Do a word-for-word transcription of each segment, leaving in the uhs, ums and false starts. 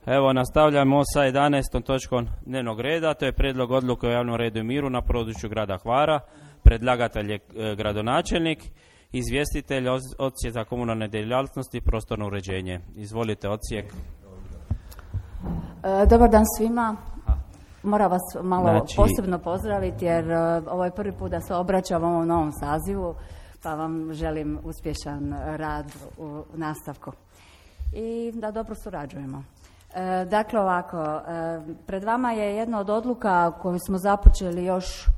Evo, nastavljamo sa jedanaestom točkom dnevnog reda, to je prijedlog odluke o javnom redu i miru na području grada Hvara. Predlagatelj je e, gradonačelnik, izvjestitelj Odsjek za komunalne djelatnosti i prostorno uređenje. Izvolite, Odsjek. E, dobar dan svima. Moram vas malo Znači... posebno pozdraviti jer e, ovo je prvi put da se obraćam ovom novom sazivu, pa vam želim uspješan rad u nastavku i da dobro surađujemo. E, dakle ovako, e, pred vama je jedna od odluka koju smo započeli još e,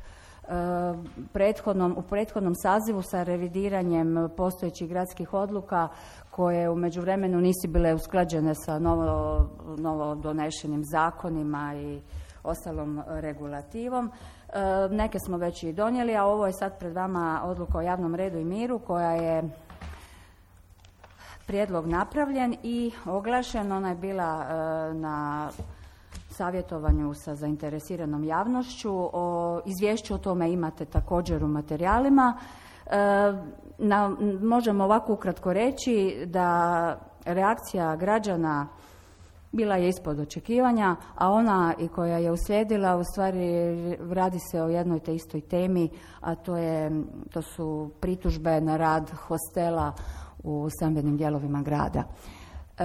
prethodnom, u prethodnom sazivu sa revidiranjem postojećih gradskih odluka koje u međuvremenu nisu bile usklađene sa novo, novo donešenim zakonima i ostalom regulativom. E, neke smo već i donijeli, a ovo je sad pred vama odluka o javnom redu i miru koja je prijedlog napravljen i oglašen. Ona je bila e, na savjetovanju sa zainteresiranom javnošću. O izvješću o tome imate također u materijalima. E, na, možemo ovako ukratko reći da reakcija građana bila je ispod očekivanja, a ona i koja je uslijedila u stvari radi se o jednoj te istoj temi, a to, je, to su pritužbe na rad hostela u stambenim dijelovima grada. E,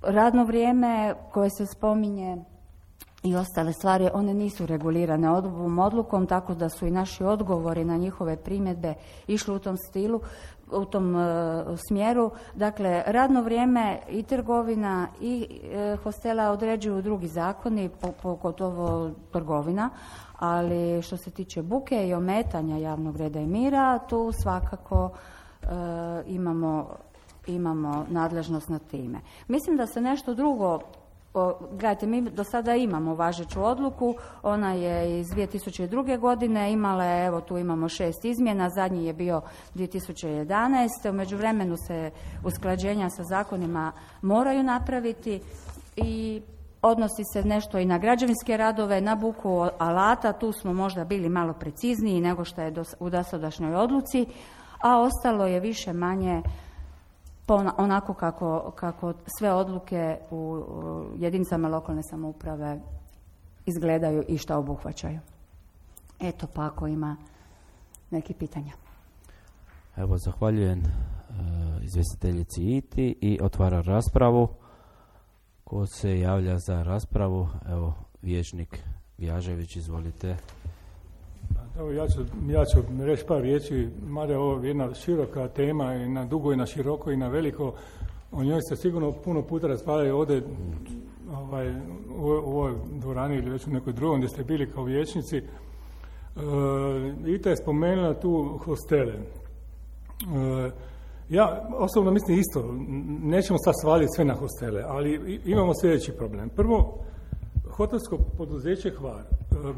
radno vrijeme koje se spominje i ostale stvari, one nisu regulirane ovom odlukom, tako da su i naši odgovori na njihove primjedbe išli u tom stilu, u tom e, smjeru. Dakle, radno vrijeme i trgovina i e, hostela određuju drugi zakoni, pogotovo trgovina, ali što se tiče buke i ometanja javnog reda i mira, tu svakako e, imamo, imamo nadležnost nad time. Mislim da se nešto drugo, o, gledajte, mi do sada imamo važeću odluku, ona je iz dvije tisuće druge. godine, imala je, evo tu imamo šest izmjena, zadnji je bio dvije tisuće jedanaeste. U međuvremenu se usklađenja sa zakonima moraju napraviti i odnosi se nešto i na građevinske radove, na buku alata, tu smo možda bili malo precizniji nego što je u dosadašnjoj odluci, a ostalo je više manje onako kako, kako sve odluke u jedinicama lokalne samouprave izgledaju i što obuhvaćaju. Eto, pa ako ima neki pitanja. Evo, zahvaljujem uh, izvjestiteljici Iti i otvara raspravu. Ko se javlja za raspravu? Evo, vijećnik Vjažević, izvolite. Evo, ja ću, ja ću reći par riječi, mada je ovo jedna široka tema i na dugo i na široko i na veliko. O njoj se sigurno puno puta raspravljaju ovdje ovaj, u, u ovoj dvorani ili već u nekoj drugom gdje ste bili kao vijećnici. E, Ita je spomenula tu hostele. E, ja osobno mislim isto, nećemo sad svaliti sve na hostele, ali imamo sljedeći problem. Prvo, hotelsko poduzeće Hvar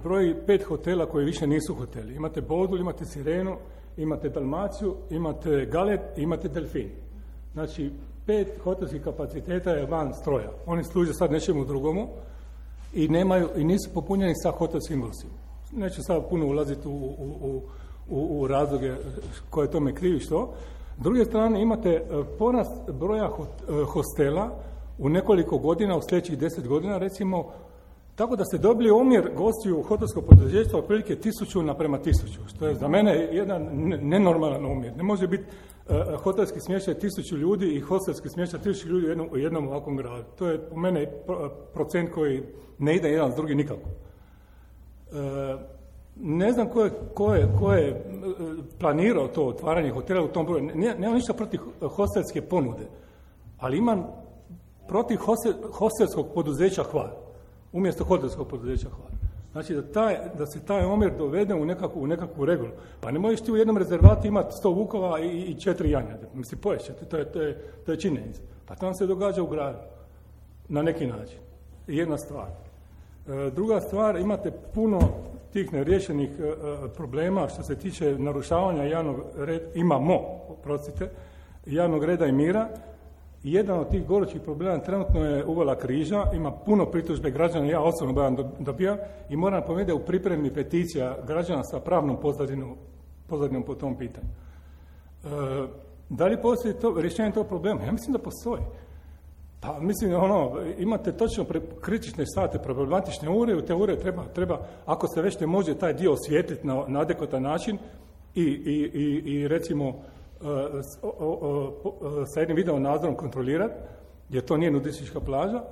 broji pet hotela koji više nisu hoteli. Imate Bodul, imate Sirenu, imate Dalmaciju, imate Galet, imate Delfin. Znači, pet hotelskih kapaciteta je van stroja. Oni služe sad nečemu drugomu i nemaju i nisu popunjeni sa hotelskim gostima. Neću sad puno ulaziti u, u, u, u razloge koje tome krivi što. S druge strane, imate porast broja hostela u nekoliko godina, u sljedećih deset godina, recimo, tako da ste dobili omjer gostiju u hotelskog poduzeća otprilike tisuću naprema tisuću, što je za mene jedan nenormalan omjer. Ne može biti uh, hotelski smještaj tisuću ljudi i hostelski smještaj tisuću ljudi u jednom, u jednom ovakvom gradu. To je u mene procent koji ne ide jedan s drugi nikako. Uh, ne znam ko je, ko je, ko je planirao to otvaranje hotela u tom broju. Nemam ništa protiv hostelske ponude, ali imam protiv hostel, hostelskog poduzeća Hvar, umjesto hotelskog poduzeća Hvar. Znači da, taj, da se taj omjer dovede u nekakvu, u nekakvu regulu. Pa ne možeš ti u jednom rezervatu imati sto vukova i, i četiri janjade. Mislim, poješćete, to je, to je, to je činjenica. Pa to nam se događa u gradu. Na neki način. Jedna stvar. E, druga stvar, imate puno tih neriješenih e, problema što se tiče narušavanja javnog reda, imamo, oprostite, javnog reda i mira. Jedan od tih gorućih problema trenutno je Uvala Križa, ima puno pritužbe građana, ja osobno bavam dobijam i moram napomenuti da u pripremi peticija građana sa pravnom pozadinom, pozadinom po tom pitanju. E, da li postoji to, rješenje tog problema? Ja mislim da postoji. Pa mislim, ono, imate točno pre, kritične sate, problematične ure, u te ure treba, treba, ako se već ne može taj dio osvijetliti na, na adekvatan način i, i, i, i recimo uh, o, o, o, sa jednim video nadzorom kontrolirati, jer to nije nudistička plaža,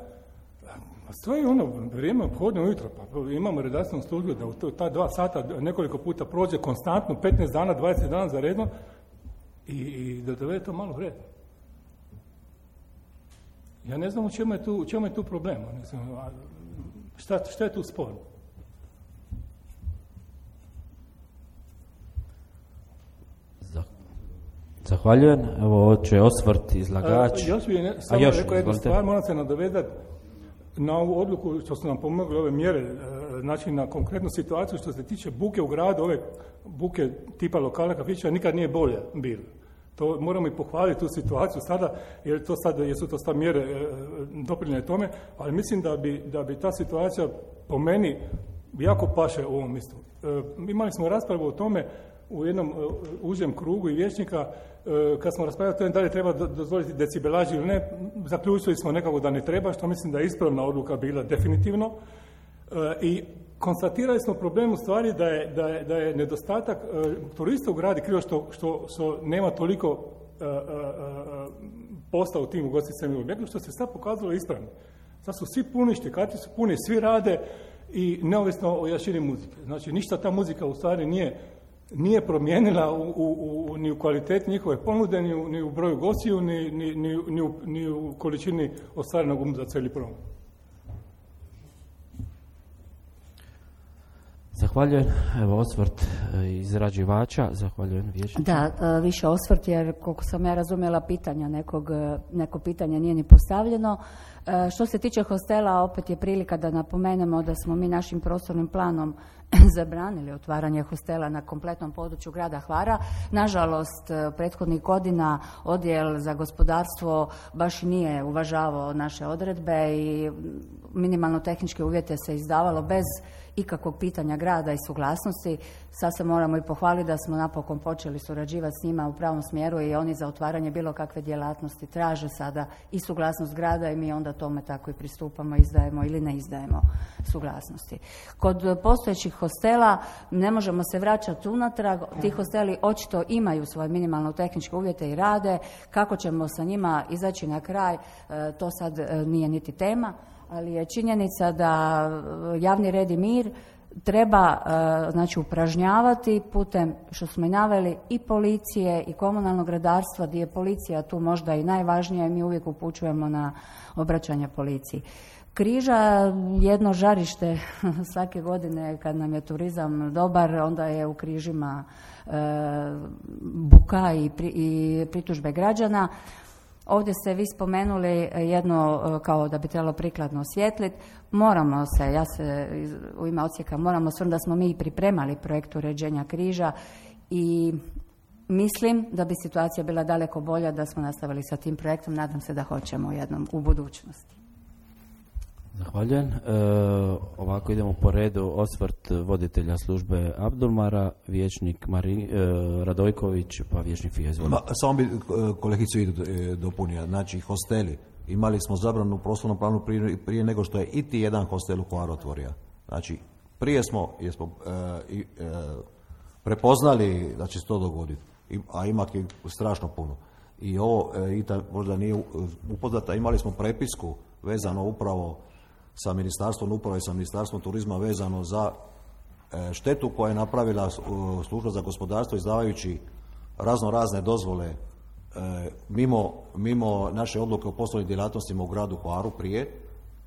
to je ono, vrijeme obhodno ujutro, pa imamo redarstvenu službu da u to, ta dva sata nekoliko puta prođe konstantno, petnaest dana, dvadeset dana za redno i, i da dovede to malo red. Ja ne znam u čemu je tu, u čemu je tu problem. Ne znam, šta, šta je tu spor? Zahvaljujem. Evo, će osvrt izlagač. A, još bi ne, samo još, rekao jednu stvar, moram se nadovezati na ovu odluku što su nam pomogli ove mjere, znači na konkretnu situaciju što se tiče buke u gradu, ove buke tipa lokala kafića nikad nije bolje bilo. To moramo i pohvaliti tu situaciju sada, jer to sad, jesu to sad mjere e, doprinjene tome, ali mislim da bi, da bi ta situacija po meni jako paše u ovom mjestu. E, imali smo raspravu o tome u jednom e, užem krugu i vijećnika, e, kad smo raspravljali o tome da li treba dozvoliti decibelažu ili ne, zaključili smo nekako da ne treba, što mislim da je ispravna odluka bila definitivno. E, I konstatirali smo problem u stvari da je, da je, da je nedostatak e, turista u gradi krivo što, što, što nema toliko e, e, posla u tim ugostiteljskim objektima, što se sad pokazalo ispravno. Sad su svi puni, štikati su puni, svi rade i neovisno o jačini muzike. Znači, ništa ta muzika u stvari nije, nije promijenila u, u, u, ni u kvaliteti njihove ponude, ni u, ni u broju gostiju, ni, ni, ni, ni, u, ni u količini ostvarenog um za cijeli program. Zahvaljujem. Evo osvrt izrađivača. Zahvaljujem vijećniku. Da, više osvrt jer koliko sam ja razumjela pitanja nekog, neko pitanje nije ni postavljeno. Što se tiče hostela, opet je prilika da napomenemo da smo mi našim prostornim planom zabranili otvaranje hostela na kompletnom području grada Hvara. Nažalost, prethodnih godina odjel za gospodarstvo baš nije uvažavao naše odredbe i minimalno tehničke uvjete se izdavalo bez ikakvog pitanja grada i suglasnosti. Sad se moramo i pohvaliti da smo napokon počeli surađivati s njima u pravom smjeru i oni za otvaranje bilo kakve djelatnosti traže sada i suglasnost grada i mi onda tome tako i pristupamo, izdajemo ili ne izdajemo suglasnosti. Kod postojećih hostela ne možemo se vraćati unatrag, ti hosteli očito imaju svoje minimalno tehničke uvjete i rade, kako ćemo sa njima izaći na kraj, to sad nije niti tema, ali je činjenica da javni red i mir treba znači upražnjavati putem, što smo i naveli, i policije i komunalnog redarstva, gdje je policija tu možda i najvažnija i mi uvijek upućujemo na obraćanje policiji. Križa jedno žarište svake godine kad nam je turizam dobar, onda je u Križima e, buka i, pri, i pritužbe građana. Ovdje ste vi spomenuli jedno kao da bi trebalo prikladno osvijetliti. Moramo se, ja se u ime odsjeka moramo osvrnuti da smo mi pripremali projekt uređenja Križa i mislim da bi situacija bila daleko bolja da smo nastavili sa tim projektom. Nadam se da hoćemo jednom u budućnosti. Zahvaljujem. E, ovako idemo po redu. Osvrt voditelja službe Abdulmara, vijećnik Mari, e, Radojković, pa vijećnik Fija. Samo bi kolegicu Idu dopunio. Znači, hosteli. Imali smo zabranu u prostornom planu prije, prije nego što je iti jedan hostel u Hvaru otvorio. Znači, prije smo, jesmo e, e, prepoznali da će se to dogoditi, I, a ima ih strašno puno. I ovo, e, Ita možda nije upoznata, imali smo prepisku vezano upravo sa Ministarstvom uprave i sa Ministarstvom turizma vezano za e, štetu koja je napravila služba za gospodarstvo izdavajući razno razne dozvole e, mimo, mimo naše odluke o poslovnim djelatnostima u gradu Hvaru prije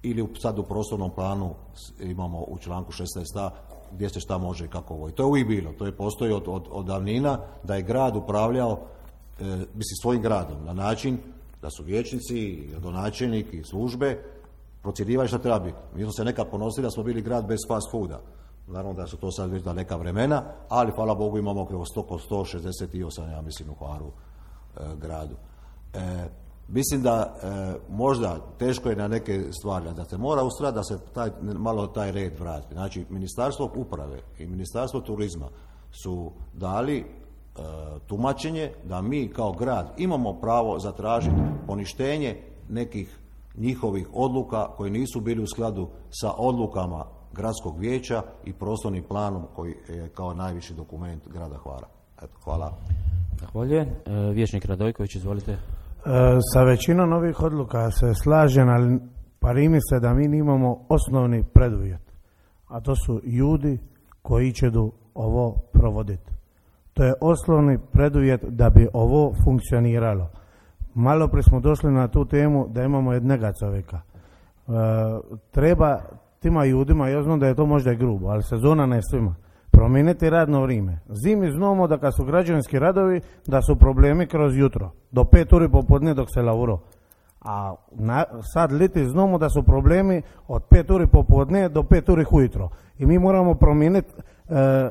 ili sad u prostornom planu imamo u članku šesnaest a gdje se šta može i kako ovo. I to je uvijek bilo, to je postoji od, od, od davnina da je grad upravljao e, mislim svojim gradom na način da su vijećnici, gradonačelnik i službe procjenjivali šta treba biti. Mi smo se nekad ponosili da smo bili grad bez fast fooda. Naravno da su to sad već daleka vremena, ali hvala Bogu imamo oko sto šezdeset osam, ja mislim, u Hvaru e, gradu. E, mislim da e, možda teško je na neke stvari, da se mora ustrati da se taj, malo taj red vrati. Znači, Ministarstvo uprave i Ministarstvo turizma su dali e, tumačenje da mi kao grad imamo pravo zatražiti poništenje nekih njihovih odluka koji nisu bili u skladu sa odlukama gradskog vijeća i prostornim planom koji je kao najviši dokument grada Hvara. Eto, hvala. Zahvaljujem. E, vijećnik Radojković, izvolite. E, sa većinom ovih odluka se slažem, ali pari mi se da mi nimamo osnovni preduvjet, a to su ljudi koji će do ovo provoditi. To je osnovni preduvjet da bi ovo funkcioniralo. Malo prije smo došli na tu temu da imamo jednega čovjeka. E, treba tima ljudima, ja znam da je to možda i grubo, ali sezona ne svima, promijeniti radno vrijeme. Zimi znamo da kad su građevinski radovi, da su problemi kroz jutro, do pet uri popodne dok se lavuro. A na, sad liti znamo da su problemi od pet uri popodne do pet uri ujutro. I mi moramo promijeniti e,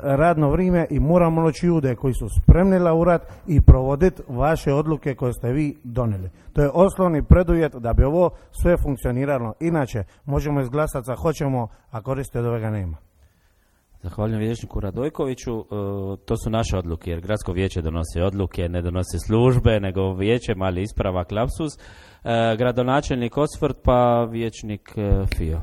radno vrijeme i moramo naći ljude koji su spremni laurat i provoditi vaše odluke koje ste vi donijeli. To je osnovni preduvjet da bi ovo sve funkcioniralo. Inače, možemo izglasati sa hoćemo, a koriste od ovoga nema. Zahvaljujem vijećniku Radojkoviću. E, to su naše odluke, jer gradsko vijeće donosi odluke, ne donosi službe, nego vijeće, mali ispravak, lapsus. E, gradonačelnik osvrt, pa vijećnik e, Fio.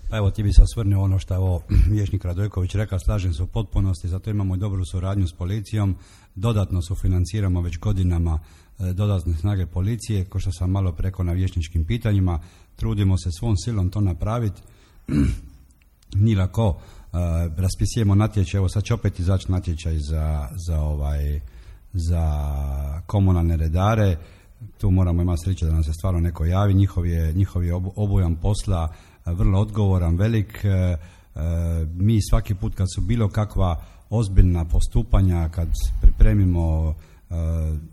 Pa evo, ti bi se osvrnuo ono što je ovo vijećnik Radojković rekao, slažem se u potpunosti, zato imamo i dobru suradnju s policijom, dodatno sufinanciramo već godinama e, dodatne snage policije, ko što sam malo preko na vijećničkim pitanjima, trudimo se svom silom to napraviti, nije lako. Uh, raspisujemo natječaj, evo sad će opet izaći natječaj za, za, ovaj, za komunalne redare, tu moramo imati sreće da nam se stvarno neko javi, njihov je, njihov je obujam posla vrlo odgovoran, velik, uh, uh, mi svaki put kad su bilo kakva ozbiljna postupanja, kad pripremimo uh,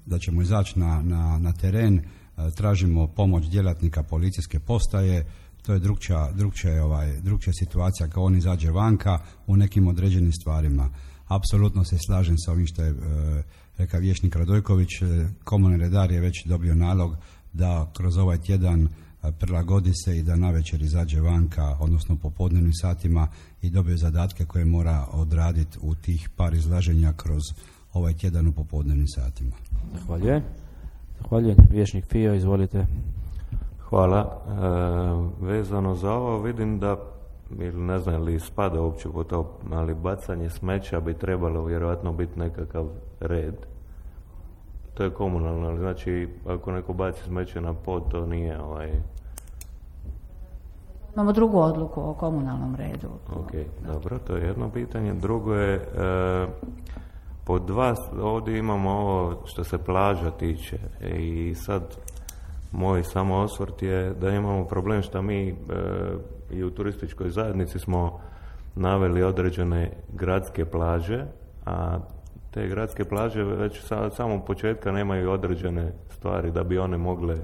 da ćemo izaći na, na, na teren, uh, tražimo pomoć djelatnika policijske postaje. To je drugčija, drugčija, ovaj, drugčija situacija kao on izađe vanka u nekim određenim stvarima. Apsolutno se slažem sa ovim što je e, rekao vijećnik Radojković. Komunalni redar je već dobio nalog da kroz ovaj tjedan prilagodi se i da navečer izađe vanka, odnosno popodnevnim satima i dobije zadatke koje mora odraditi u tih par izlaženja kroz ovaj tjedan u popodnevnim satima. Zahvaljujem. Zahvaljujem. Vijećnik Fio, izvolite. Hvala. E, vezano za ovo vidim da, ili ne znam li spada uopće po to, ali bacanje smeća bi trebalo vjerojatno biti nekakav red. To je komunalno, ali znači ako neko baci smeće na pod, to nije ovaj... Imamo drugu odluku o komunalnom redu. Ok, dobro, to je jedno pitanje. Drugo je, e, pod dva, ovdje imamo ovo što se plaža tiče i sad moj samo osvrt je da imamo problem što mi e, i u turističkoj zajednici smo naveli određene gradske plaže, a te gradske plaže već sa od samog početka nemaju određene stvari da bi one mogle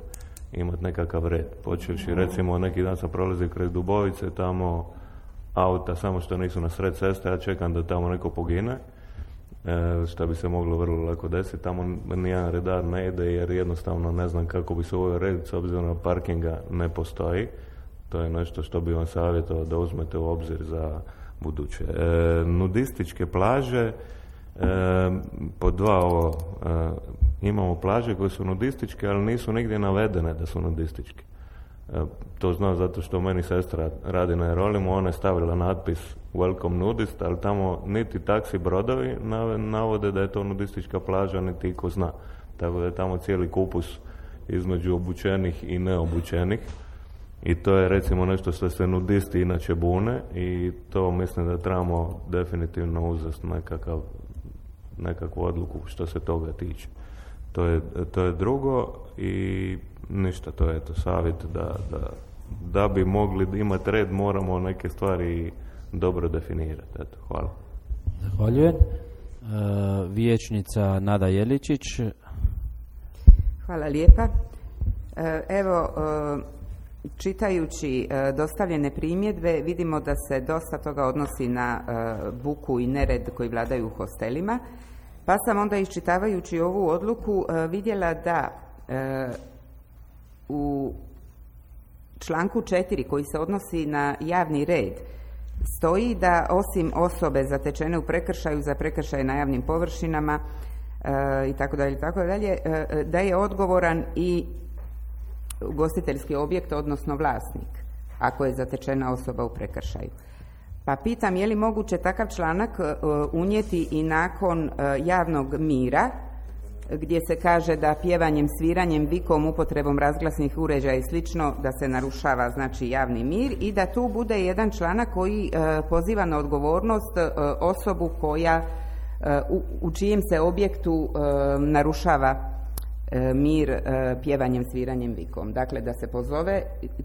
imati nekakav red. Počevši recimo neki dan sam prolazio kraj Dubovice, tamo auta samo što nisu na sred ceste, ja čekam da tamo neko pogine. E, što bi se moglo vrlo lako desiti, tamo nijedan redar ne ide jer jednostavno ne znam kako bi se uveo red s obzirom na parkinga ne postoji. To je nešto što bi vam savjetovao da uzmete u obzir za buduće. E, nudističke plaže, e, po dva ovo, e, imamo plaže koje su nudističke, ali nisu nigdje navedene da su nudističke. E, to znam zato što meni sestra radi na Jerolimu, ona je stavila natpis Welcome nudist, ali tamo niti taksi brodovi navode da je to nudistička plaža, niti iko zna. Tako da je tamo cijeli kupus između obučenih i neobučenih. I to je recimo nešto što se nudisti inače bune i to mislim da trebamo definitivno uzeti nekakav, nekakvu odluku što se toga tiče. To je, to je drugo i ništa, to je eto savjet da, da, da bi mogli imati red moramo neke stvari dobro definirati. Eto, hvala. Zahvaljujem. E, vijećnica Nada Jeličić. Hvala lijepa. E, evo, e, čitajući e, dostavljene primjedbe vidimo da se dosta toga odnosi na e, buku i nered koji vladaju u hostelima, pa sam onda iščitavajući ovu odluku e, vidjela da e, u članku četiri koji se odnosi na javni red stoji da osim osobe zatečene u prekršaju za prekršaje na javnim površinama e, i tako dalje, tako dalje, e, da je odgovoran i ugostiteljski objekt, odnosno vlasnik, ako je zatečena osoba u prekršaju. Pa pitam, je li moguće takav članak unijeti i nakon javnog mira, gdje se kaže da pjevanjem, sviranjem, vikom, upotrebom razglasnih uređaja i slično da se narušava znači javni mir, i da tu bude jedan članak koji e, poziva na odgovornost e, osobu koja e, u, u čijem se objektu e, narušava e, mir e, pjevanjem, sviranjem, vikom. Dakle, da se pozove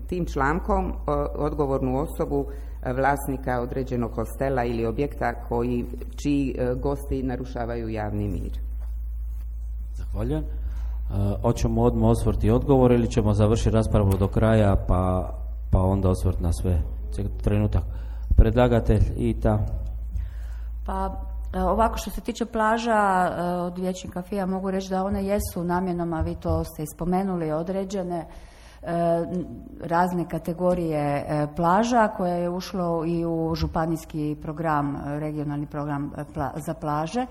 tim člankom e, odgovornu osobu e, vlasnika određenog hostela ili objekta koji, čiji e, gosti narušavaju javni mir. Zahvaljujem. E, hoćemo odmah osvrt i odgovor ili ćemo završiti raspravu do kraja pa, pa onda osvrt na sve? Trenutak. Predlagatelj Ita. Pa ovako, što se tiče plaža od vijećnika F I A mogu reći da one jesu namjenom, a vi to ste ispomenuli, određene razne kategorije plaža koje je ušlo i u županijski program, regionalni program za plaže.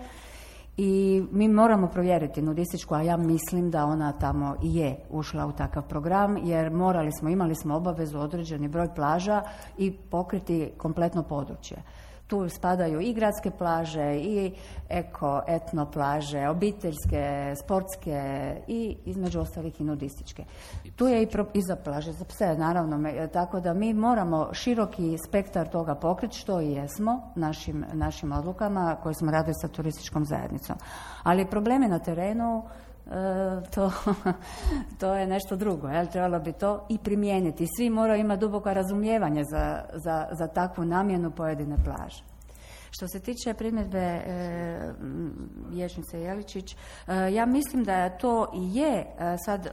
I mi moramo provjeriti nudističku, a ja mislim da ona tamo i je ušla u takav program, jer morali smo, imali smo obavezu određeni broj plaža i pokriti kompletno područje. Tu spadaju i gradske plaže, i eko, etno plaže, obiteljske, sportske i između ostalih i nudističke. Tu je i, pro, i za plaže, za pse, naravno, tako da mi moramo široki spektar toga pokriti, što i jesmo našim, našim odlukama koje smo radili sa turističkom zajednicom. Ali problemi na terenu, E, to, to je nešto drugo, jel? Trebalo bi to i primijeniti. Svi moraju imati duboko razumijevanje za, za, za takvu namjenu pojedine plaže. Što se tiče primjedbe e, vijećnice Jeličić, e, ja mislim da to i je e, sad, e,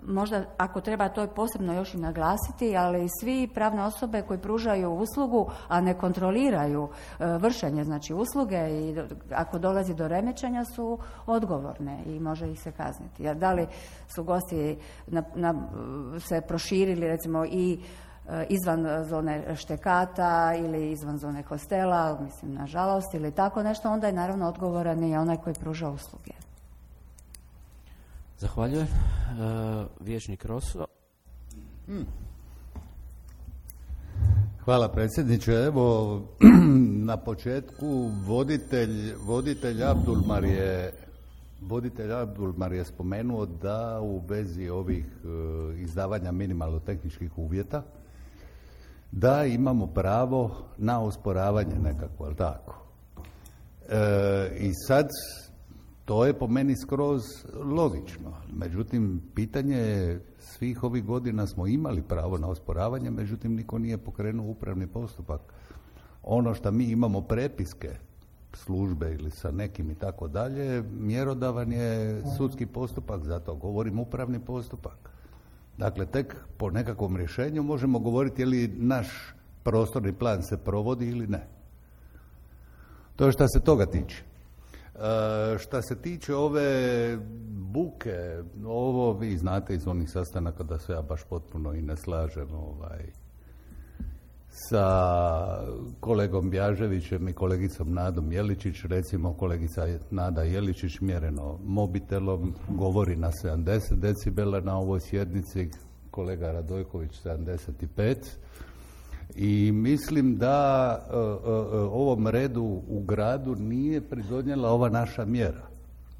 možda ako treba to posebno još i naglasiti, ali svi pravne osobe koji pružaju uslugu, a ne kontroliraju e, vršenje znači usluge i do, ako dolazi do remećenja su odgovorne i može ih se kazniti. Jer da li su gosti na, na, se proširili recimo i izvan zone štekata ili izvan zone hostela, mislim nažalost, ili tako nešto, onda je naravno odgovoran i onaj koji pruža usluge. Zahvaljujem. E, vijećnik Roso. Hmm. Hvala predsjedniče. Evo, na početku voditelj, voditelj Abdulmar je voditelj Abdulmar je spomenuo da u vezi ovih e, izdavanja minimalno tehničkih uvjeta da imamo pravo na osporavanje nekako, ali tako. E, I sad, to je po meni skroz logično. Međutim, pitanje je, svih ovih godina smo imali pravo na osporavanje, međutim, niko nije pokrenuo upravni postupak. Ono što mi imamo prepiske službe ili sa nekim i tako dalje, mjerodavan je sudski postupak, zato govorim upravni postupak. Dakle, tek po nekakvom rješenju možemo govoriti je li naš prostorni plan se provodi ili ne. To je što se toga tiče. E, što se tiče ove buke, ovo vi znate iz onih sastanaka da se ja baš potpuno i ne slažem ovaj, sa kolegom Bjaževićem i kolegicom Nadom Jeličić. Recimo, kolegica Nada Jeličić mjereno mobitelom govori na sedamdeset decibela na ovoj sjednici, kolega Radojković sedamdeset pet. I mislim da e, e, ovom redu u gradu nije pridonijela ova naša mjera,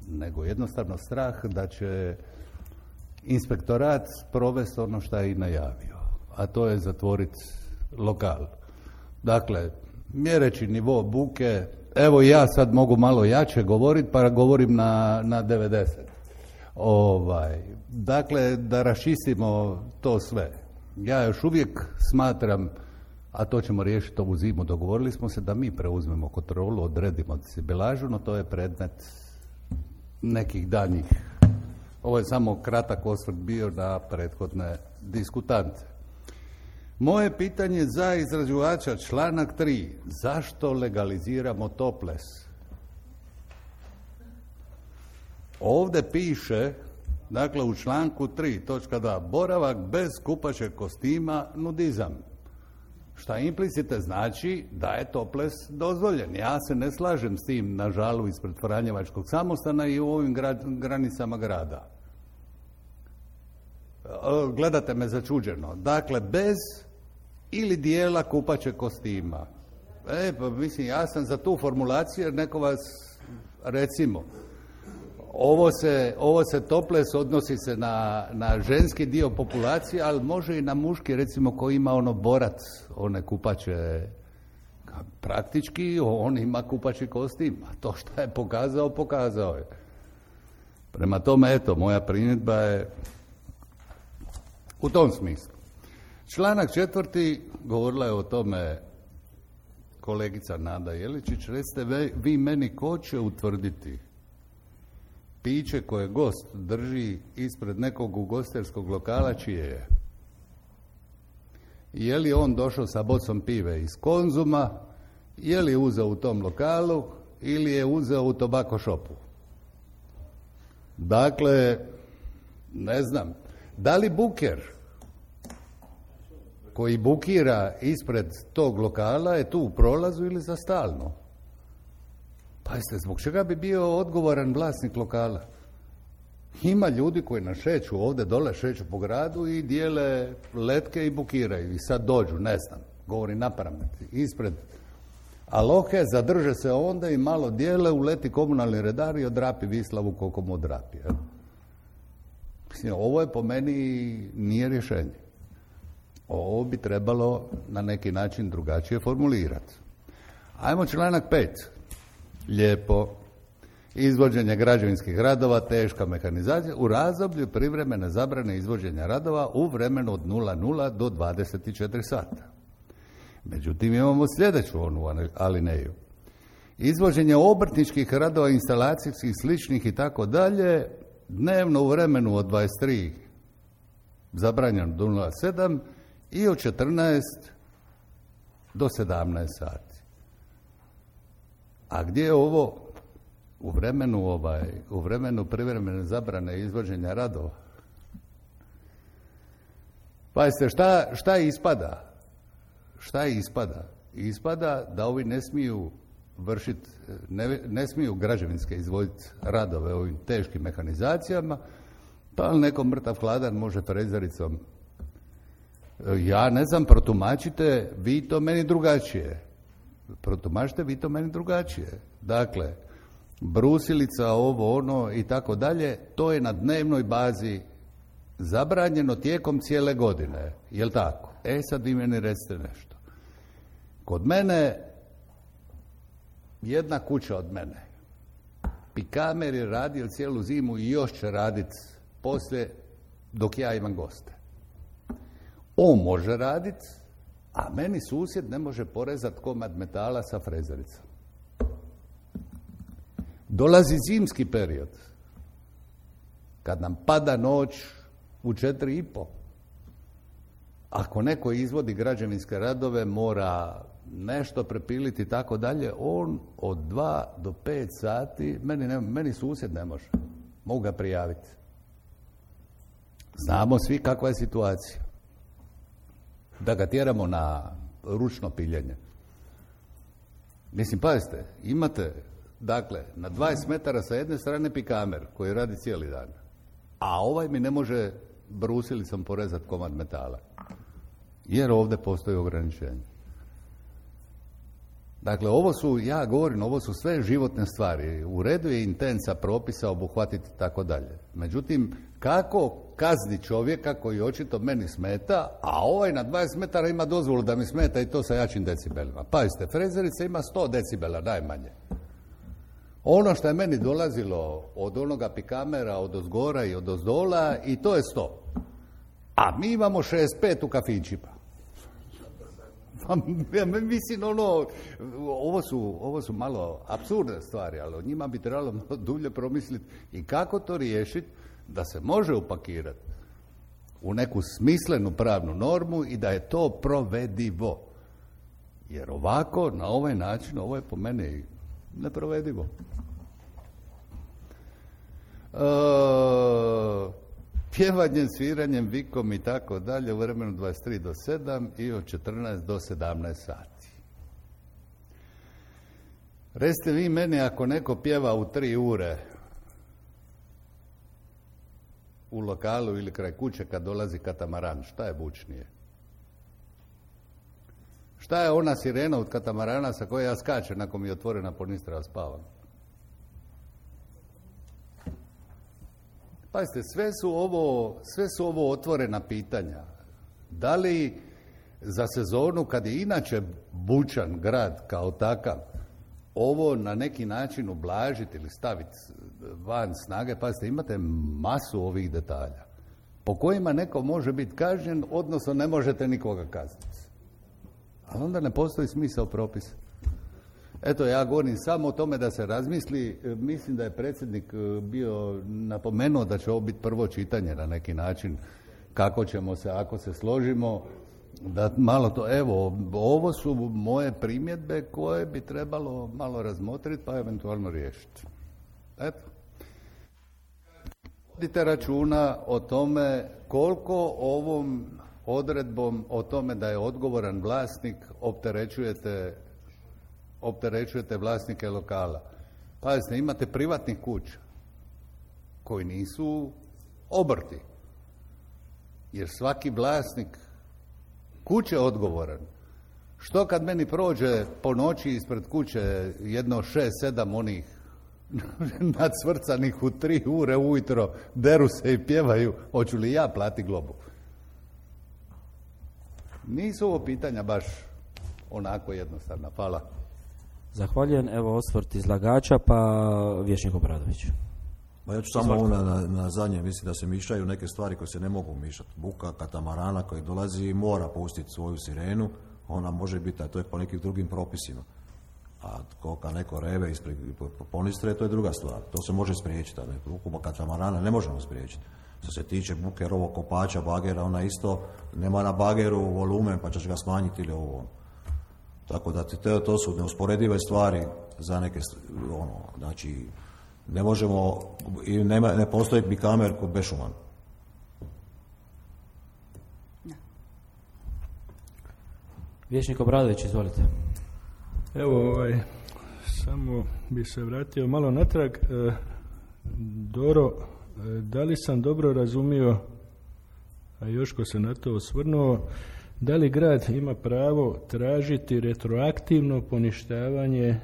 nego jednostavno strah da će inspektorat provesti ono što je i najavio, a to je zatvoriti lokal. Dakle, mjereći nivo buke, evo ja sad mogu malo jače govoriti, pa govorim na, na devedeset. Ovaj, dakle, da raščistimo to sve. Ja još uvijek smatram, a to ćemo riješiti ovu zimu, dogovorili smo se da mi preuzmemo kontrolu, odredimo decibelažu, no to je predmet nekih danjih. Ovo je samo kratak osvrt bio na prethodne diskutante. Moje pitanje za izrađivača, članak tri. Zašto legaliziramo toples? Ovdje piše, dakle u članku tri, točka dva, boravak bez kupaćeg kostima, nudizam. Šta implicite znači da je toples dozvoljen. Ja se ne slažem s tim na žalu ispred Franjevačkog samostana i u ovim grad, granicama grada. gledate me začuđeno. Dakle, bez ili dijela kupaće kostima. E, pa mislim, ja sam za tu formulaciju jer neko vas, recimo, ovo se, ovo se toples odnosi se na, na ženski dio populacije, ali može i na muški, recimo, koji ima ono borac, one kupaće, praktički on ima kupaći kostim, a to što je pokazao, pokazao je. Prema tome, eto, moja primjedba je u tom smislu. Članak četvrti, govorila je o tome kolegica Nada Jeličić, recite vi meni ko će utvrditi piće koje gost drži ispred nekog ugostiteljskog lokala čije je. Je li on došao sa bocom pive iz Konzuma, je li uzeo u tom lokalu ili je uzeo u tobacco shopu. Dakle, ne znam, da li buker koji bukira ispred tog lokala je tu u prolazu ili za stalno? Pazite, zbog čega bi bio odgovoran vlasnik lokala? Ima ljudi koji nas šeću ovdje dole, šeću po gradu i dijele letke i bukiraju. I sad dođu, ne znam, govori napamet, ispred Alohe, zadrže se onda i malo dijele, uleti komunalni redar i odrapi Vislavu koliko mu odrapi. Jel? Mislim, ovo je po meni nije rješenje. Ovo bi trebalo na neki način drugačije formulirati. Ajmo članak pet. Lijepo. Izvođenje građevinskih radova, teška mehanizacija u razdoblju privremene zabrane izvođenja radova u vremenu od nula nula do dvadeset četiri sata. Međutim, imamo sljedeću onu alineju. Izvođenje obrtničkih radova, instalacijskih, sličnih i tako dalje, dnevno u vremenu od dvadeset tri zabranjeno do nula sedam i od četrnaest do sedamnaest sati. A gdje je ovo u vremenu, ovaj, u vremenu privremene zabrane izvođenja radova? Pazite, šta, šta ispada? Šta ispada? Ispada da ovi ne smiju vršiti, ne, ne smiju građevinske izvoditi radove ovim teškim mehanizacijama, pa ali neko mrtav hladan može frezericom. Ja ne znam, protumačite vi to meni drugačije. Protumačite vi to meni drugačije. Dakle, brusilica, ovo, ono i tako dalje, to je na dnevnoj bazi zabranjeno tijekom cijele godine. Jel' tako? E sad vi meni recite nešto. Kod mene, jedna kuća od mene, Pikamer je radio cijelu zimu i još će raditi poslije dok ja imam goste. On može raditi, a meni susjed ne može porezati komad metala sa frezericom. Dolazi zimski period, kad nam pada noć u četiri i po. Ako neko izvodi građevinske radove, mora nešto prepiliti i tako dalje, on od dva do pet sati, meni, ne, meni susjed ne može. Mogu ga prijaviti. Znamo svi kakva je situacija. Da ga tjeramo na ručno piljenje. Mislim, pazite, imate, dakle, na dvadeset metara sa jedne strane Pikamer koji radi cijeli dan, a ovaj mi ne može brusilicom porezati komad metala. Jer ovdje postoji ograničenje. Dakle, ovo su, ja govorim, ovo su sve životne stvari. U redu je intenca propisa obuhvatiti tako dalje. Međutim, kako kazni čovjeka koji očito meni smeta, a ovaj na dvadeset metara ima dozvolu da mi smeta i to sa jačim decibelima. Pazite, frezerica ima sto decibela najmanje. Ono što je meni dolazilo od onoga Pikamera, od ozgora i od ozdola, i to je sto. A mi imamo šezdeset pet u kafićima. Mislim, ono, ovo su, ovo su malo apsurdne stvari, ali o njima bi trebalo dulje promisliti i kako to riješiti da se može upakirati u neku smislenu pravnu normu i da je to provedivo. Jer ovako, na ovaj način, ovo je po meni neprovedivo. E, pjevanjem, sviranjem, vikom i tako dalje u vremenu dvadeset tri do sedam i od četrnaest do sedamnaest sati. Recite vi meni, ako neko pjeva u tri ure, u lokalu ili kraj kuće kad dolazi katamaran? Šta je bučnije? Šta je ona sirena od katamarana sa koje ja skačem nakon mi je otvorena ponistra, a spavam? Pazite, sve su ovo, sve su ovo otvorena pitanja. Da li za sezonu, kad je inače bučan grad kao takav, ovo na neki način ublažiti ili staviti van snage? Pazite, imate masu ovih detalja po kojima neko može biti kažnjen, odnosno ne možete nikoga kazniti. Ali onda ne postoji smisao propisa. Eto, ja govorim samo o tome da se razmisli. Mislim da je predsjednik bio napomenuo da će ovo biti prvo čitanje na neki način, kako ćemo se, ako se složimo, da malo to, evo, ovo su moje primjedbe koje bi trebalo malo razmotriti pa eventualno riješiti. Eto. Vodite računa o tome koliko ovom odredbom o tome da je odgovoran vlasnik opterećujete, opterećujete vlasnike lokala. Pazite, imate privatnih kuća koji nisu obrti. Jer svaki vlasnik kuće je odgovoran. Što kad meni prođe po noći ispred kuće jedno šest, sedam onih nacvrcanih u tri ure ujutro, deru se i pjevaju, hoću li ja plati globu? Nisu ovo pitanja baš onako jednostavna. Hvala. Zahvaljujem. Evo osvrt izlagača, pa Vijećnik Obradović. Ma ja ću samo ovo na, na, na zadnje, mislim da se mišaju neke stvari koje se ne mogu mišati. Buka katamarana koji dolazi i mora pustiti svoju sirenu, ona može biti, a to je po nekim drugim propisima. A koliko neko reve ispred ponistre, to je druga stvar. To se može spriječiti, a buku katamarana ne možemo spriječiti. Što se tiče buke rovokopača, bagera, ona isto nema na bageru volumen, pa ćeš ga smanjiti ili ovo. Tako da to, to su neusporedive stvari za neke, ono, znači, ne možemo, i nema, ne postoji bikamer kod bešuman. Vijećnik Obradović, izvolite. Evo, ovaj, samo bi se vratio malo natrag. E, Doro, e, da li sam dobro razumio, a Joško se na to osvrnuo, da li grad ima pravo tražiti retroaktivno poništavanje e,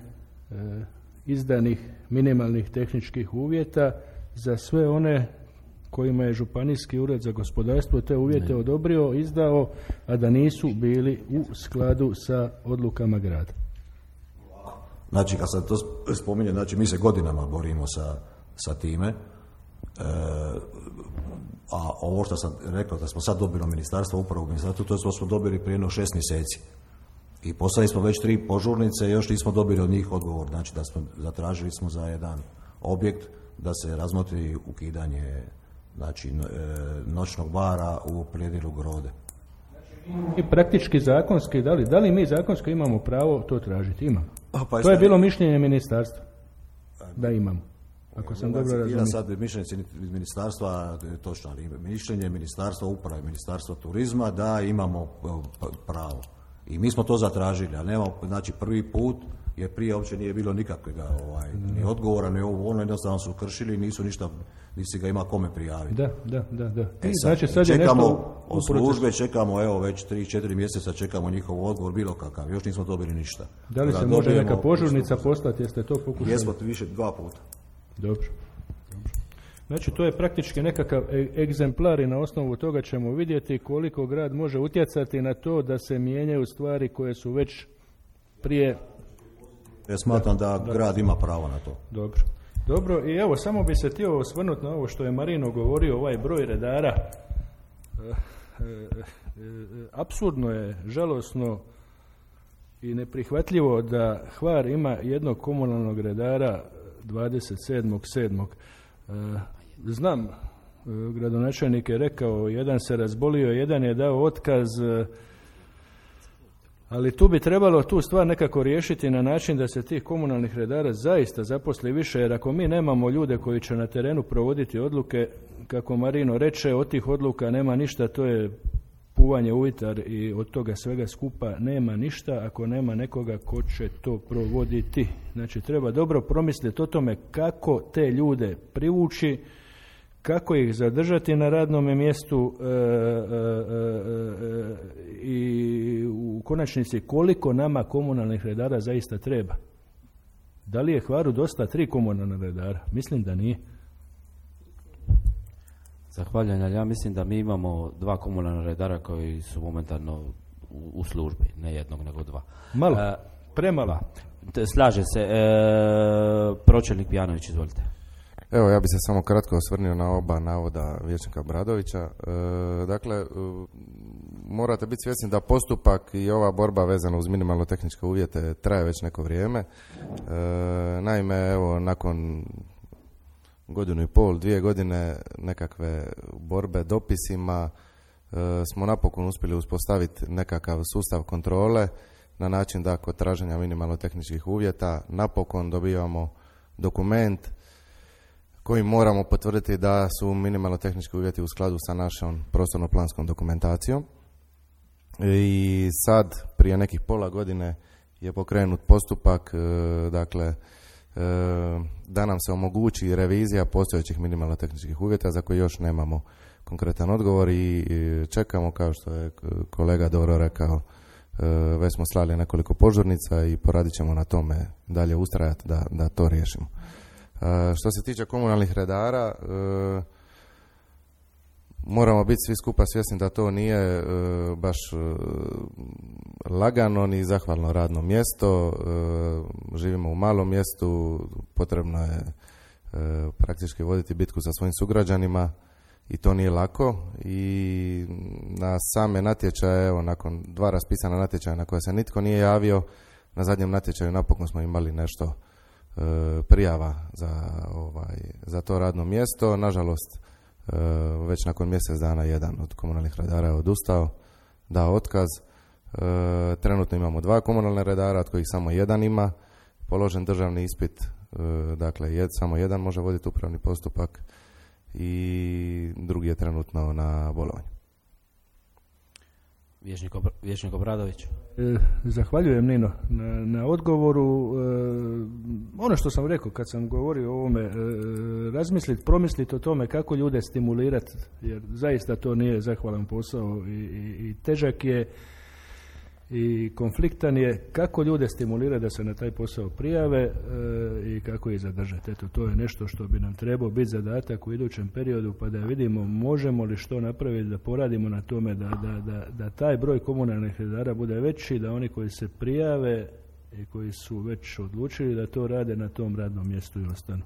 izdanih minimalnih tehničkih uvjeta za sve one kojima je Županijski ured za gospodarstvo te uvjete ne. odobrio, izdao, a da nisu bili u skladu sa odlukama grada? Znači, kad se to spominje, znači mi se godinama borimo sa, sa time, e, a ovo što sam rekao da smo sad dobili ministarstvo, upravo u ministarstvu, to smo dobili prije jedno šest mjeseci. I poslali smo već tri požurnice, još nismo dobili od njih odgovor. Znači da smo zatražili smo za jedan objekt da se razmotri ukidanje, znači, noćnog bara u predjelu Grode. I praktički zakonski, da li, da li mi zakonski imamo pravo to tražiti? Imamo. Pa, pa to je bilo mišljenje ministarstva. Da imamo. Ako sam dobro razumio. Sad mišljenje ministarstva, točno, ali mišljenje ministarstva uprave, ministarstva turizma da imamo pravo. I mi smo to zatražili, a nema, znači prvi put, jer prije uopće nije bilo nikakvog ovaj, ni odgovora, ni ovo, ono jednostavno su kršili i nisu ništa, nisi ga ima kome prijaviti. Da, da, da. da. E sad, znači, sad čekamo je nešto od službe, čekamo, evo, već tri četiri mjeseca čekamo njihov odgovor, bilo kakav, još nismo dobili ništa. Da li da se može neka požurnica poslati, jeste to pokušali? Jesmo više dva puta. Dobro. Znači, to je praktički nekakav egzemplar i na osnovu toga ćemo vidjeti koliko grad može utjecati na to da se mijenjaju stvari koje su već prije... Ja smatram da, da grad ima pravo na to. Dobro. Dobro, i evo, samo bi se htio osvrnuti na ovo što je Marino govorio, ovaj broj redara. E, e, e, apsurdno je, žalosno i neprihvatljivo da Hvar ima jednog komunalnog redara dvadeset sedmog sedmog Znam, gradonačelnik je rekao, jedan se razbolio, jedan je dao otkaz, ali tu bi trebalo tu stvar nekako riješiti na način da se tih komunalnih redara zaista zaposli više, jer ako mi nemamo ljude koji će na terenu provoditi odluke, kako Marino reče, od tih odluka nema ništa, to je puvanje u vitar i od toga svega skupa nema ništa ako nema nekoga ko će to provoditi. Znači, treba dobro promisliti o tome kako te ljude privući, kako ih zadržati na radnom mjestu e, e, e, i u konačnici koliko nama komunalnih redara zaista treba. Da li je Hvaru dosta tri komunalna redara? Mislim da nije. Zahvaljujem, ali ja mislim da mi imamo dva komunalna redara koji su momentalno u, u službi, ne jednog nego dva. Malo, e, premalo. Slažem se. E, pročelnik Pijanović, izvolite. Evo, ja bi se samo kratko osvrnio na oba navoda vijećnika Bradovića. E, dakle, e, morate biti svjesni da postupak i ova borba vezana uz minimalno tehničke uvjete traje već neko vrijeme. E, naime, evo, nakon godinu i pol, dvije godine nekakve borbe dopisima, e, smo napokon uspjeli uspostaviti nekakav sustav kontrole na način da kod traženja minimalno tehničkih uvjeta napokon dobivamo dokument koji moramo potvrditi da su minimalno tehnički uvjeti u skladu sa našom prostorno-planskom dokumentacijom. I sad, prije nekih pola godine, je pokrenut postupak, e, dakle, e, da nam se omogući revizija postojećih minimalno tehničkih uvjeta za koje još nemamo konkretan odgovor i čekamo, kao što je kolega dobro rekao, e, već smo slali nekoliko požurnica i poradit ćemo na tome dalje ustrajati da, da to riješimo. Što se tiče komunalnih redara, e, moramo biti svi skupa svjesni da to nije e, baš e, lagano ni zahvalno radno mjesto. E, živimo u malom mjestu, potrebno je e, praktički voditi bitku sa svojim sugrađanima i to nije lako. I na same natječaje, evo, nakon dva raspisana natječaja na koje se nitko nije javio, na zadnjem natječaju napokon smo imali nešto prijava za, ovaj, za to radno mjesto. Nažalost, već nakon mjesec dana jedan od komunalnih redara je odustao, dao otkaz. Trenutno imamo dva komunalne redara, od kojih samo jedan ima položen državni ispit, dakle jed, samo jedan može voditi upravni postupak i drugi je trenutno na bolovanju. Vječnik, Obr- Vječnik Obradović. E, zahvaljujem, Nino, na, na odgovoru. E, ono što sam rekao kad sam govorio o ovome, e, razmisliti, promisliti o tome kako ljude stimulirati, jer zaista to nije zahvalan posao i, i, i težak je i konfliktan je. Kako ljude stimulirati da se na taj posao prijave e, i kako ih zadržati. Eto, to je nešto što bi nam trebao biti zadatak u idućem periodu, pa da vidimo možemo li što napraviti da poradimo na tome da, da, da, da taj broj komunalnih redara bude veći, da oni koji se prijave i koji su već odlučili da to rade na tom radnom mjestu i ostanu.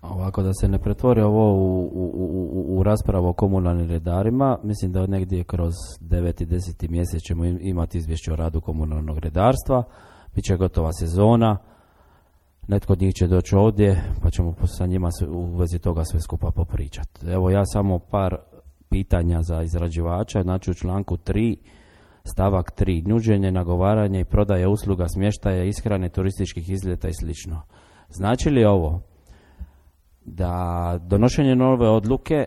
Ovako, da se ne pretvori ovo u, u, u, u raspravu o komunalnim redarima, mislim da negdje kroz deveti i deseti mjesec ćemo imati izvješće o radu komunalnog redarstva, bit će gotova sezona, netko od njih će doći ovdje, pa ćemo sa njima u vezi toga sve skupa popričati. Evo, ja samo par pitanja za izrađivača, znači u članku tri, stavak tri, nuđenje, nagovaranje i prodaje usluga smještaja, ishrane, turističkih izleta i slično. Znači li ovo da donošenje nove odluke e,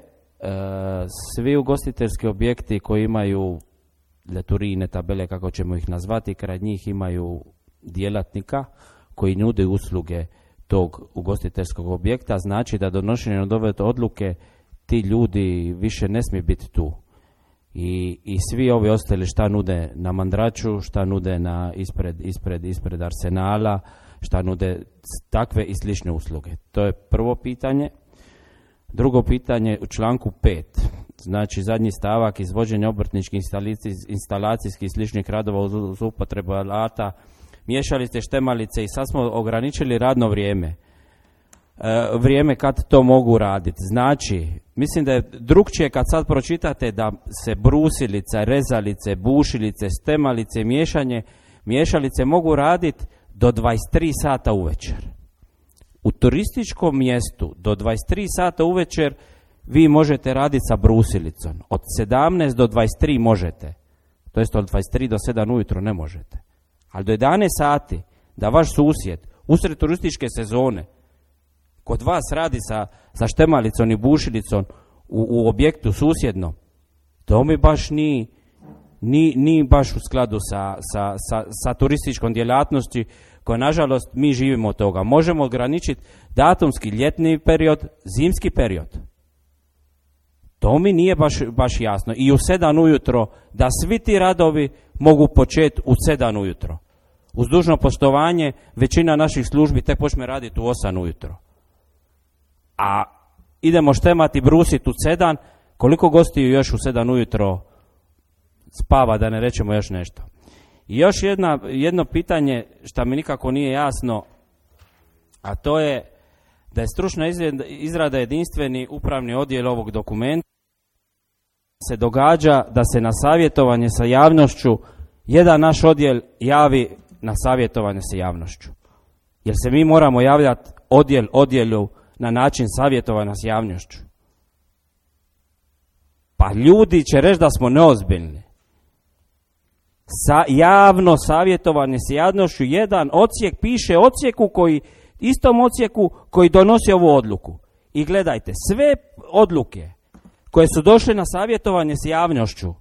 svi ugostiteljski objekti koji imaju leturine, tabele, kako ćemo ih nazvati, kraj njih imaju djelatnika koji nude usluge tog ugostiteljskog objekta, znači da donošenje nove odluke ti ljudi više ne smiju biti tu. I, i svi ovi ostali šta nude na Mandraču, šta nude na ispred, ispred, ispred Arsenala, šta nude takve i slične usluge. To je prvo pitanje. Drugo pitanje u članku pet, znači zadnji stavak, izvođenje obrtničkih instalacijskih i sličnih radova uz upotrebu alata, miješalice, štemalice, i sad smo ograničili radno vrijeme. E, vrijeme kad to mogu raditi. Znači, mislim da je drugčije kad sad pročitate da se brusilica, rezalice, bušilice, stemalice, miješanje, miješalice mogu raditi do dvadeset tri sata uvečer. U turističkom mjestu do dvadeset tri sata uvečer vi možete raditi sa brusilicom. Od sedamnaest do dvadeset tri možete. To jest od dvadeset tri do sedam ujutro ne možete. Ali do jedanaest sati da vaš susjed usred turističke sezone kod vas radi sa, sa štemalicom i bušilicom u, u objektu susjednom, to mi baš nije Ni, ni baš u skladu sa, sa, sa, sa turističkom djelatnosti koja, nažalost, mi živimo od toga. Možemo ograničiti datumski ljetni period, zimski period. To mi nije baš, baš jasno. I u sedam ujutro, da svi ti radovi mogu početi u sedam ujutro. Uz dužno poštovanje, većina naših službi tek počne raditi u osam ujutro. A idemo štemati, brusiti u sedam, koliko gostiju još u sedam ujutro spava, da ne rečemo još nešto. I još jedna, jedno pitanje što mi nikako nije jasno, a to je da je stručna izrada jedinstveni upravni odjel ovog dokumenta. Se događa da se na savjetovanje sa javnošću jedan naš odjel javi na savjetovanje sa javnošću. Jer se mi moramo javljati odjel odjelu na način savjetovanja s javnošću. Pa ljudi će reći da smo neozbiljni. Sa, javno savjetovanje s javnošću, jedan odsjek piše odsjeku koji, istom odsjeku koji donosi ovu odluku. I gledajte, sve odluke koje su došle na savjetovanje s javnošću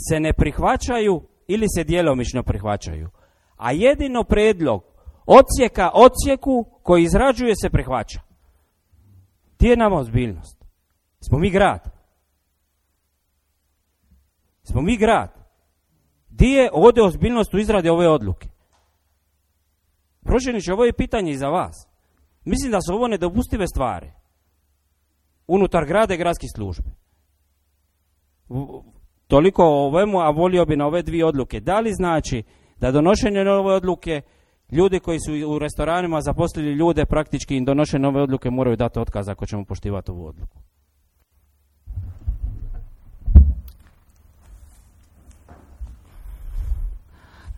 se ne prihvaćaju ili se djelomično prihvaćaju. A jedino prijedlog odsjeka odsjeku koji izrađuje se prihvaća. Gdje je nama ozbiljnost? Smo mi grad. Smo mi grad. Gdje je ovdje ozbiljnost u izradi ove odluke? Pročelniče, ovo je pitanje i za vas. Mislim da su ovo nedopustive stvari unutar grada i gradskih službi. Toliko o ovemu, a volio bi na ove dvije odluke. Da li znači da donošenje nove odluke, ljudi koji su u restoranima zaposlili ljude, praktički im donošenje nove odluke moraju dati otkaz ako ćemo poštivati ovu odluku?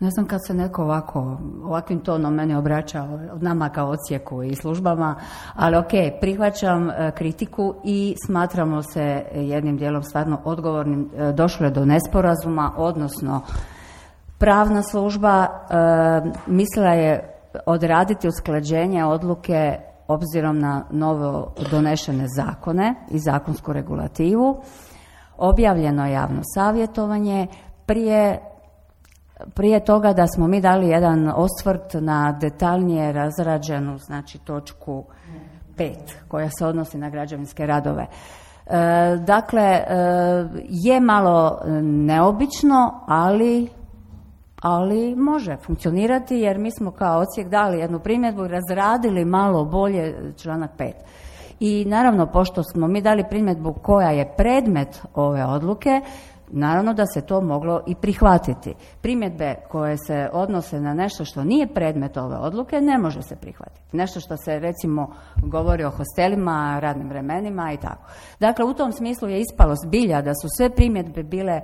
Ne znam kad se neko ovako, ovakvim tonom meni obraća od nama kao odsjeku i službama, ali ok, prihvaćam e, kritiku i smatramo se jednim dijelom stvarno odgovornim. E, došlo je do nesporazuma, odnosno pravna služba e, mislila je odraditi usklađenje odluke obzirom na novo donešene zakone i zakonsku regulativu. Objavljeno je javno savjetovanje. Prije Prije toga da smo mi dali jedan osvrt na detaljnije razrađenu, znači točku pet koja se odnosi na građevinske radove. E, dakle, e, je malo neobično, ali, ali može funkcionirati jer mi smo kao odsjek dali jednu primjedbu i razradili malo bolje članak pet. I naravno, pošto smo mi dali primjedbu koja je predmet ove odluke, naravno da se to moglo i prihvatiti. Primjedbe koje se odnose na nešto što nije predmet ove odluke ne može se prihvatiti. Nešto što se recimo govori o hostelima, radnim vremenima i tako. Dakle, u tom smislu je ispalo zbilja da su sve primjedbe bile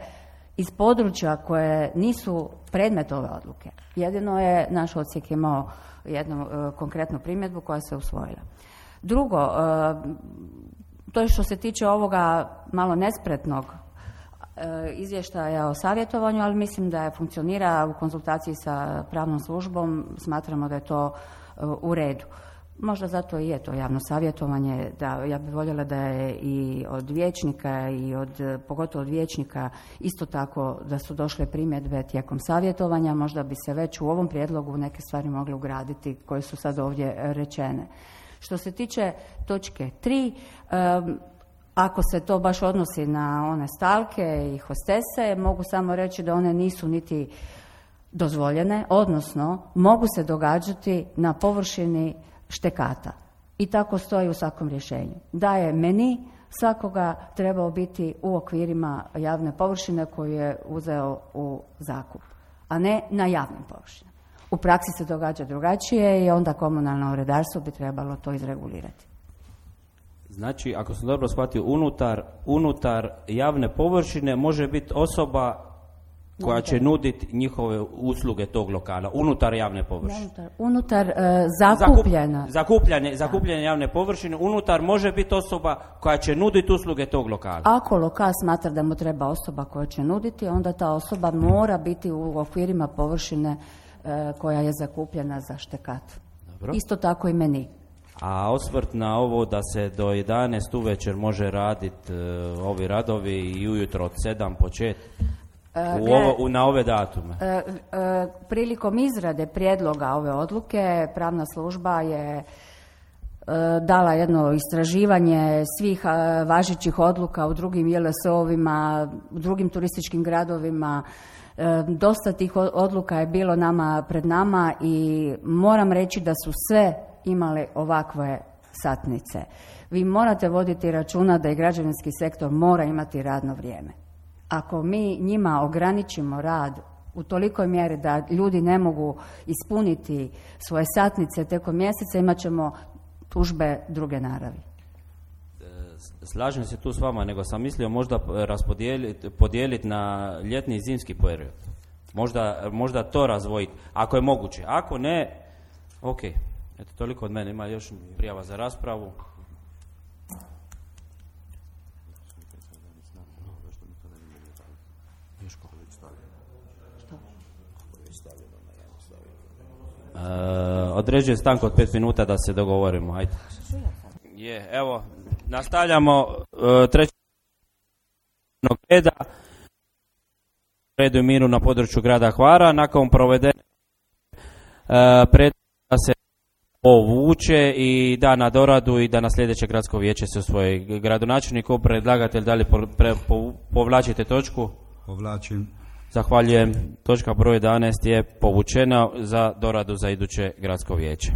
iz područja koje nisu predmet ove odluke. Jedino je naš odsjek imao jednu uh, konkretnu primjedbu koja se usvojila. Drugo, uh, to je što se tiče ovoga malo nespretnog izvještaja o savjetovanju, ali mislim da je funkcionira u konzultaciji sa pravnom službom, smatramo da je to u redu. Možda zato i je to javno savjetovanje, da ja bih voljela da je i od vijećnika i od, pogotovo od vijećnika isto tako da su došle primjedbe tijekom savjetovanja, možda bi se već u ovom prijedlogu neke stvari mogle ugraditi koje su sad ovdje rečene. Što se tiče točke tri, um, ako se to baš odnosi na one stalke i hostese, mogu samo reći da one nisu niti dozvoljene, odnosno mogu se događati na površini štekata. I tako stoji u svakom rješenju. Da je meni svakoga trebao biti u okvirima javne površine koju je uzeo u zakup, a ne na javnim površinama. U praksi se događa drugačije i onda komunalno redarstvo bi trebalo to izregulirati. Znači, ako sam dobro shvatio, unutar, unutar javne površine može biti osoba koja će nuditi njihove usluge tog lokala, unutar javne površine. Unutar, unutar uh, zakupljena. Zakup, zakupljanje, zakupljanje javne površine, unutar može biti osoba koja će nuditi usluge tog lokala. Ako lokal smatra da mu treba osoba koja će nuditi, onda ta osoba mora biti u okvirima površine uh, koja je zakupljena za štekat. Dobro. Isto tako i meni. A osvrt na ovo da se do jedanaest uvečer može raditi uh, ovi radovi i ujutro od sedam početi u ovo, u, na ove datume. E, e, prilikom izrade prijedloga ove odluke pravna služba je dala jedno istraživanje svih e, važećih odluka u drugim J L S O-ovima, u drugim turističkim gradovima. E, dosta tih odluka je bilo nama pred nama i moram reći da su sve imale ovakve satnice. Vi morate voditi računa da i građevinski sektor mora imati radno vrijeme. Ako mi njima ograničimo rad u tolikoj mjeri da ljudi ne mogu ispuniti svoje satnice tijekom mjeseca, imat ćemo tužbe druge naravi. Slažem se tu s vama, nego sam mislio možda raspodijeliti podijeliti na ljetni i zimski period. Možda, možda to razvojiti, ako je moguće. Ako ne, ok. Eto, toliko od mene. Ima još prijava za raspravu. Uh, određujem stanku od pet minuta da se dogovorimo. Ajde. Je, evo, nastavljamo uh, treći reda redu i miru na području grada Hvara. Nakon provedene uh, pred da se povuče i da na doradu i da na sljedeće gradsko vijeće se usvoji. Gradonačelniku, predlagatelj, da li po, pre, po, povlačite točku? Povlačim. Zahvaljujem. Točka broj jedanaest je povučena za doradu za iduće gradsko vijeće.